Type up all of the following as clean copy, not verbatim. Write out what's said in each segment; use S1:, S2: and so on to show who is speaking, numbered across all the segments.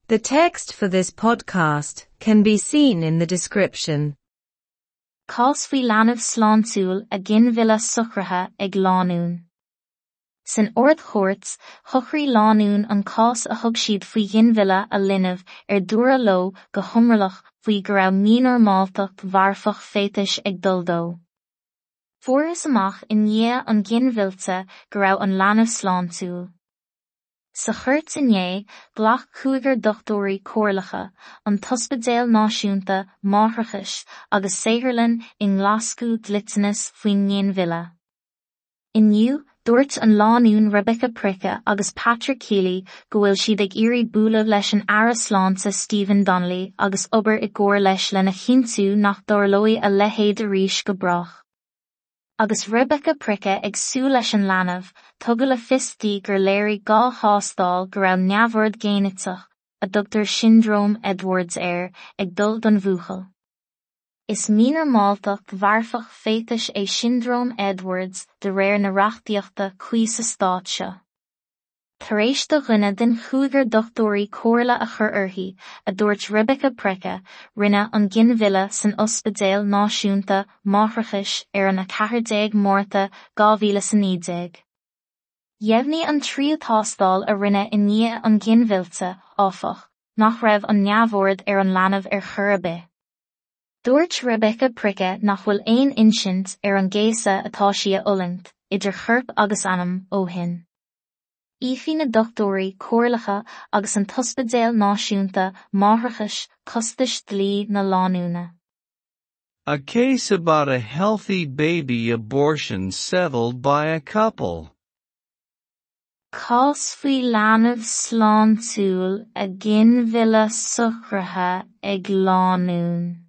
S1: The text for this podcast can be seen in the description.
S2: Cás faoi leanbh sláintiúil a ginmhilleadh socraithe ag lánúin. San Ard-Chúirt, shocraigh lánúin an cás a thug siad faoi ghinmhilleadh a linbh ar dúradh leo go hiomrallach faoi go raibh mínormáltacht mharfach féatais ag dul dó. Fuarthas amach i ndiaidh an ghinmhillte go raibh an leanbh sláintiúil. Sa chúirt inné, ghlac cúigear dochtúirí comhairleacha, an tOspidéal Náisiúnta Máithreachais agus saotharlann i nGlaschú dliteanas faoin nginmhilleadh. Inniu, dúirt an lánúin Rebecca Pricke agus Patrick Keely go bhfuil siad ag iarraidh bualadh leis an Aire Sláinte Stephen Donnelly agus obair i gcomhar leis lena chinntiú nach dtarlóidh a leithéid arís go brách. Agus Rebecca Pricke ag súil leis an leanbh, tugadh le fios di gur léirigh dhá thástáil go raibh neamhord géiniteach, a dtugtar Siondróm Edwards air, ag dul don bhuachaill. Is mínormáltacht mharfach féatais é Siondróm Edwards de réir na reachtaíochta cuí sa stát seo. Tar éis do dhuine den chúigear dochtúirí comhairle a chur uirthi, a dúirt Rebecca Pricke, rinneadh an ginmhilleadh san Ospidéal Náisiúnta Máithreachais ar an 14 Márta 2019. Dheimhnigh an tríú tástáil a rinneadh i ndiaidh an ghinmhillte, áfach, nach raibh an neamhord ar an leanbh ar chor ar bith. Dúirt Rebecca Pricke nach bhfuil aon insint ar an gcéasadh atá sí a fhulaingt, idir chorp agus anam, ó shin. Íocfaidh na dochtúirí comhairleacha agus an tOspidéal Náisiúnta Máithreachais costais dlí na lánúine.
S3: A case about a healthy baby abortion settled by a couple.
S2: Cás faoi leanbh sláintiúil a ginmhilleadh socraithe ag lánúin.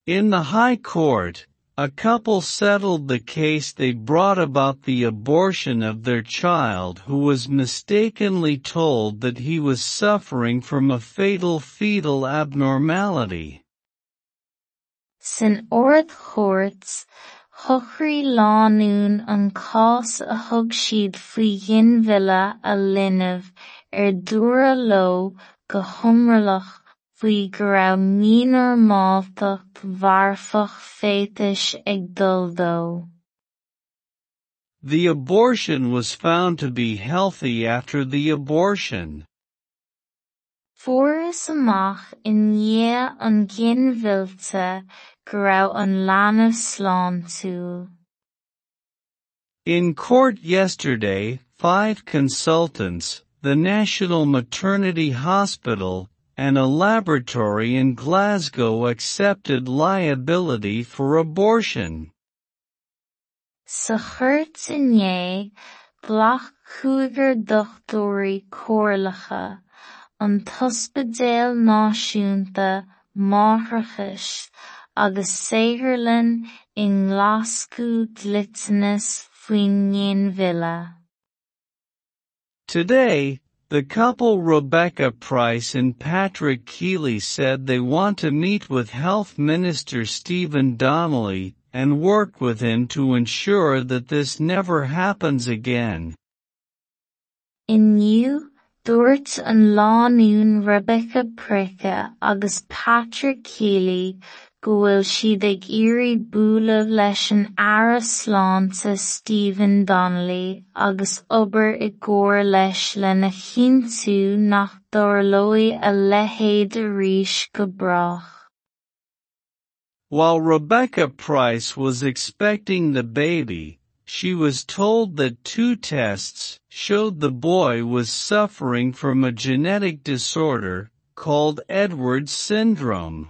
S3: In the High Court, a couple settled the case they brought about the abortion of their child who was mistakenly told that he was suffering from a fatal fetal abnormality.
S2: San Ard-Chúirt, shocraigh lánúin an cás a thug siad faoi ghinmhilleadh a linbh ar dúradh leo go hiomrallach faoi go raibh mínormáltacht mharfach féatais ag dul dó.
S3: The abortion was found to be healthy after the abortion.
S2: Fuarthas amach i ndiaidh an ghinmhillte go raibh an leanbh sláintiúil.
S3: In court yesterday, five consultants, the National Maternity Hospital, and a laboratory in Glasgow accepted liability for abortion.
S2: Sa chúirt inné, ghlac cúigear dochtúirí comhairleacha, an tOspidéal Náisiúnta Máithreachais agus saotharlann i nGlaschú dliteanas faoin nginmhilleadh.
S3: Today, the couple Rebecca Price and Patrick Keely said they want to meet with Health Minister Stephen Donnelly and work with him to ensure that this never happens again.
S2: Inniu, dúirt an lánúin Rebecca Pricke agus Patrick Keely go bhfuil siad ag iarraidh bualadh leis an Aire Sláinte Stephen Donnelly agus obair i gcomhar leis lena chinntiú nach dtarlóidh a leithéid arís go brách.
S3: While Rebecca Price was expecting the baby, she was told that two tests showed the boy was suffering from a genetic disorder called Edwards syndrome.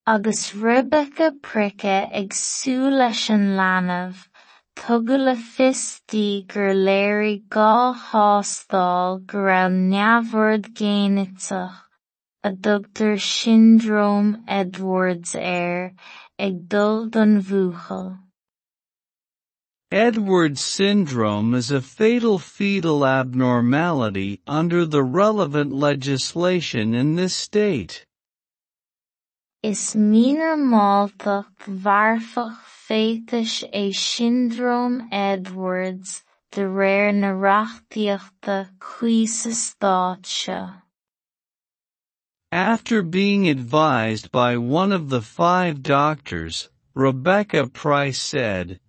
S2: Agus Rebecca Pricke ag súil leis an leanbh, tugadh le fios di gur léirigh dhá thástáil go raibh neamhord géiniteach, a dtugtar Siondróm Edwards air, ag dul don bhuachaill.
S3: Edwards syndrome is a fatal fetal abnormality under the relevant legislation in this state.
S2: Is mínormáltacht mharfach féatais é Siondróm Edwards de réir na reachtaíochta cuí sa stát seo.
S3: After being advised by one of the five doctors, Rebecca Price said,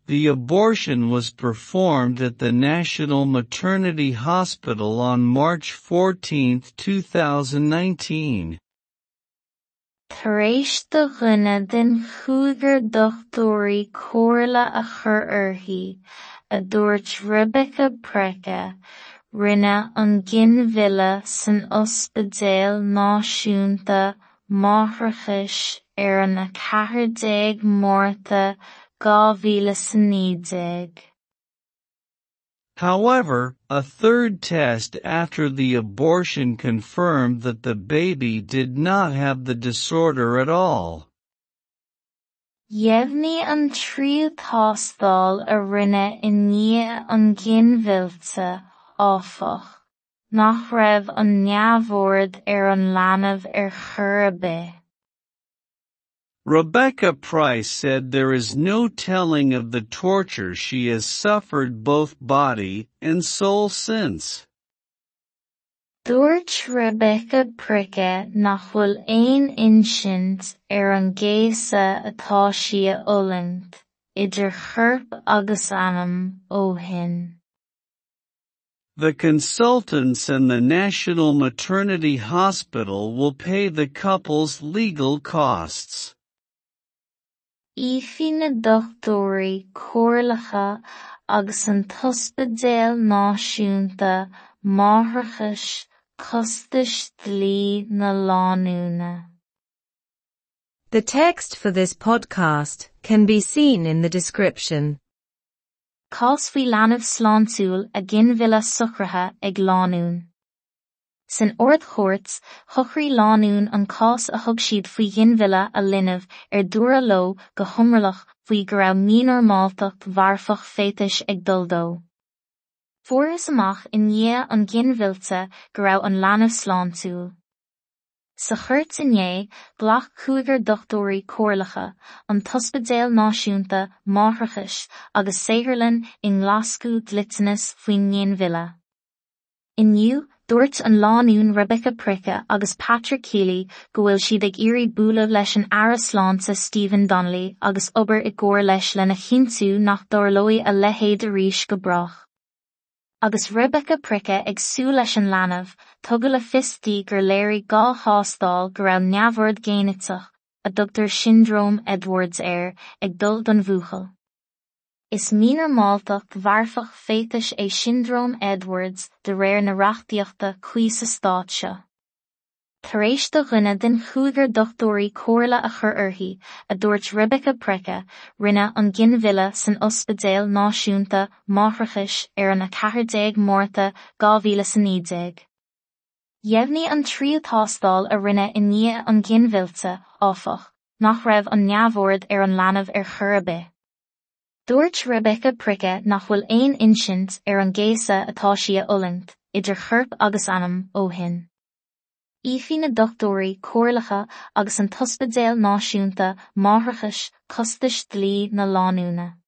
S3: the abortion was performed at the National Maternity Hospital on March 14, 2019.
S2: Tar éis do dhuine den chúigear dochtúirí comhairle a chur uirthi, a dúirt Rebecca Price, rinne an ginmhilleadh san Ospidéal Náisiúnta Máithreachais ar an 14 Márta 2019.
S3: However, a third test after the abortion confirmed that the baby did not have the disorder at all.
S2: Dheimhnigh an tríú tástáil a rinneadh i ndiaidh an ghinmhillte, áfach, nach raibh an neamhord ar an leanbh ar chor ar bith.
S3: Rebecca Price said there is no telling of the torture she has suffered both body and soul since.
S2: Dúirt Rebecca Price nach bhfuil aon insint ar an gcéasadh atá sí a fhulaingt, idir chorp agus anam, ó shin.
S3: The consultants and the National Maternity Hospital will pay the couple's legal costs.
S2: Íocfaidh na dochtúirí comhairleacha agus an tOspidéal Náisiúnta Máithreachais costais dlí na lánúine.
S1: The text for this podcast can be seen in the description.
S2: Cás faoi leanbh sláintiúil a ginmhilleadh socraithe ag lánúin. San Ard-Chúirt, shocraigh lánúin an cás a thug siad faoi ghinmhilleadh a linbh ar dúradh leo go hiomrallach faoi go raibh mínormáltacht mharfach féatais ag dul dó. Fuarthas amach i ndiaidh an ghinmhillte go raibh an leanbh sláintiúil. Sa chúirt inné, ghlac cúigear dochtúirí comhairleacha, an tOspidéal Náisiúnta Máithreachais agus saotharlann i nGlaschú dliteanas faoin nginmhilleadh. Inniu, dúirt an lánúin Rebecca Price agus Patrick Keely go bhfuil siad ag iarraidh bualadh leis an Aire Sláinte Stephen Donnelly agus obair i gcomhar leis lena chinntiú nach dtarlóidh a leithéid arís go brách. Agus Rebecca Price ag súil leis an leanbh, tugadh le fios di gur léirigh dhá thástáil go raibh neamhord géiniteach, a dtugtar Siondróm Edwards air, ag dul don bhuachaill. Is mínormáltacht mharfach féatais é Siondróm Edwards de réir na reachtaíochta cuí sa stát seo. Tar éis do dhuine den chúigear dochtúirí comhairle a chur uirthi, a dúirt Rebecca Price, rinne an ginmhilleadh san Ospidéal Náisiúnta Máithreachais ar an 14 Márta 2019. Dheimhnigh an tríú tástáil a rinneadh i ndiaidh an ghinmhillte, áfach, nach raibh an neamhord ar an leanbh ar chor ar bith. Dúirt Rebecca Price nach bhfuil aon insint ar an gcéasadh atá sí a fhulaingt, idir chorp agus anam, ó shin. Íocfaidh na dochtúirí comhairleacha agus an tOspidéal Náisiúnta Máithreachais costais dlí na lánúine.